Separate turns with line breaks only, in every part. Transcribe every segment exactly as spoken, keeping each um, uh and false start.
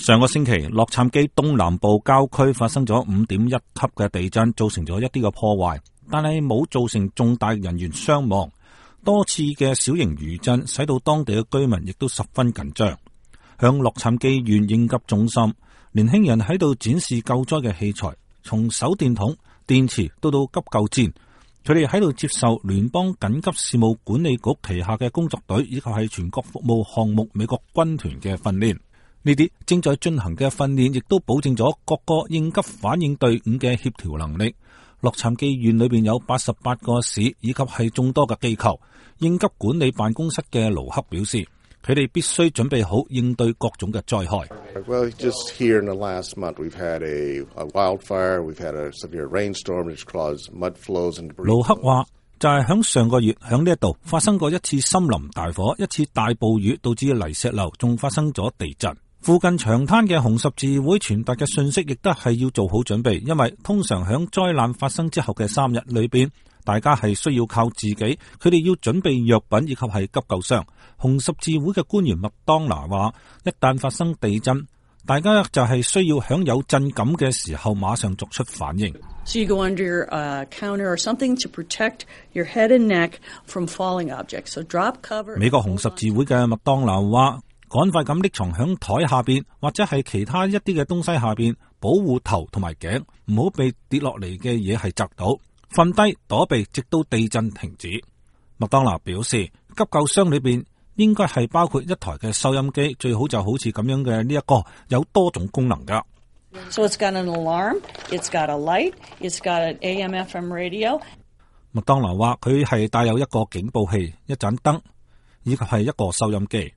上個星期，洛杉磯東南部郊區發生咗五點一級嘅地震，造成咗一啲嘅破壞，但係冇造成重大人員傷亡。多次嘅小型餘震使到當地嘅居民亦都十分緊張。響洛杉磯縣應急中心，年輕人喺度展示救災嘅器材，從手電筒、電池到到急救氈，佢哋喺度接受聯邦緊急事務管理局旗下嘅工作隊以及係全國服務項目美國軍團嘅訓練。呢啲正在進行嘅訓練亦都保證咗各個應急反應隊伍嘅協調能力。洛杉磯縣裏邊有八十八個市以及係眾多嘅機構。應急管理辦公室嘅盧克表示，佢哋必須準備好應對各種嘅災害。
Well, just here in the last month, we've had a, a wildfire, we've had a severe rainstorm which caused mud flows and debris.
盧克話，就係響上個月響呢一度發生過一次森林大火，一次大暴雨導致泥石流，仲發生咗地震。附近長灘嘅紅十字會傳達嘅信息亦都係要做好準備，因為通常響災難發生之後嘅三日裏邊，大家係需要靠自己，佢哋要準備藥品以及係急救箱。紅十字會嘅官員麥當娜話，一旦發生地震，大家就係需要響有震感嘅時候馬上作出反應。
So you go under a counter or something to protect your head and neck from falling objects. So drop cover.
美國紅十字會嘅麥當娜話，趕快咁匿藏響台下邊或者係其他一啲嘅東西下邊，保護頭同埋頸，唔好被跌落嚟嘅嘢係砸到。瞓低躲避，直到地震停止。麥當娜表示，急救箱裏邊應該係包括一台嘅收音機，最好就好似咁樣嘅呢一個有多種功能噶。
So it's got an alarm, it's got a light, it's got an A M F M radio.
麥當娜話佢係帶有一個警報器、一盞燈以及係一個收音機。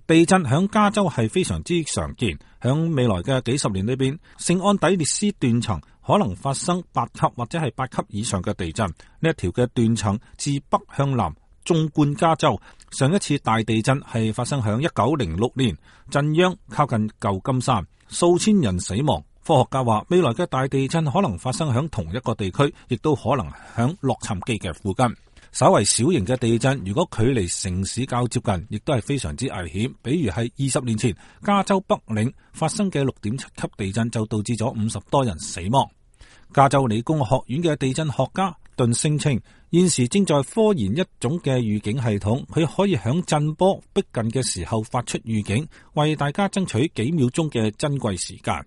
地震響加州係非常之常見，響未來嘅幾十年裏邊，聖安地列斯斷層可能發生八級或者係八級以上嘅地震。呢一條嘅斷層自北向南縱貫加州。上一次大地震係發生響一九零六年，震央靠近舊金山，數千人死亡。科學家話未來嘅大地震可能發生響同一個地區，亦都可能響洛杉磯嘅附近。稍為小型嘅地震，如果距離城市較接近，亦都係非常之危險。比如係二十年前加州北領發生嘅六點七級地震，就導致咗五十多人死亡。加州理工學院嘅地震學家頓聲稱，現時正在科研一種嘅預警系統，佢可以響震波逼近嘅時候發出預警，為大家爭取幾秒鐘嘅珍貴時間。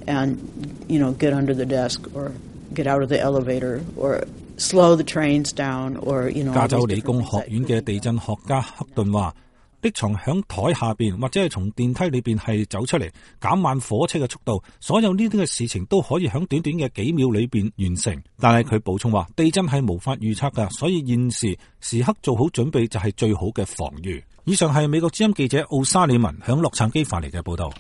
And, you know, get under the desk or get out of the elevator or slow the trains down or, you know.
加州理工學院嘅地震學家克頓話，匿藏響台下邊或者係從電梯裏邊係走出嚟，減慢火車嘅速度，所有呢啲嘅事情都可以響短短嘅幾秒裏邊完成。但係佢補充話，地震係無法預測噶，所以現時時刻做好準備就係最好嘅防禦。以上係美國之音記者奧沙利文響洛杉磯發嚟嘅報道。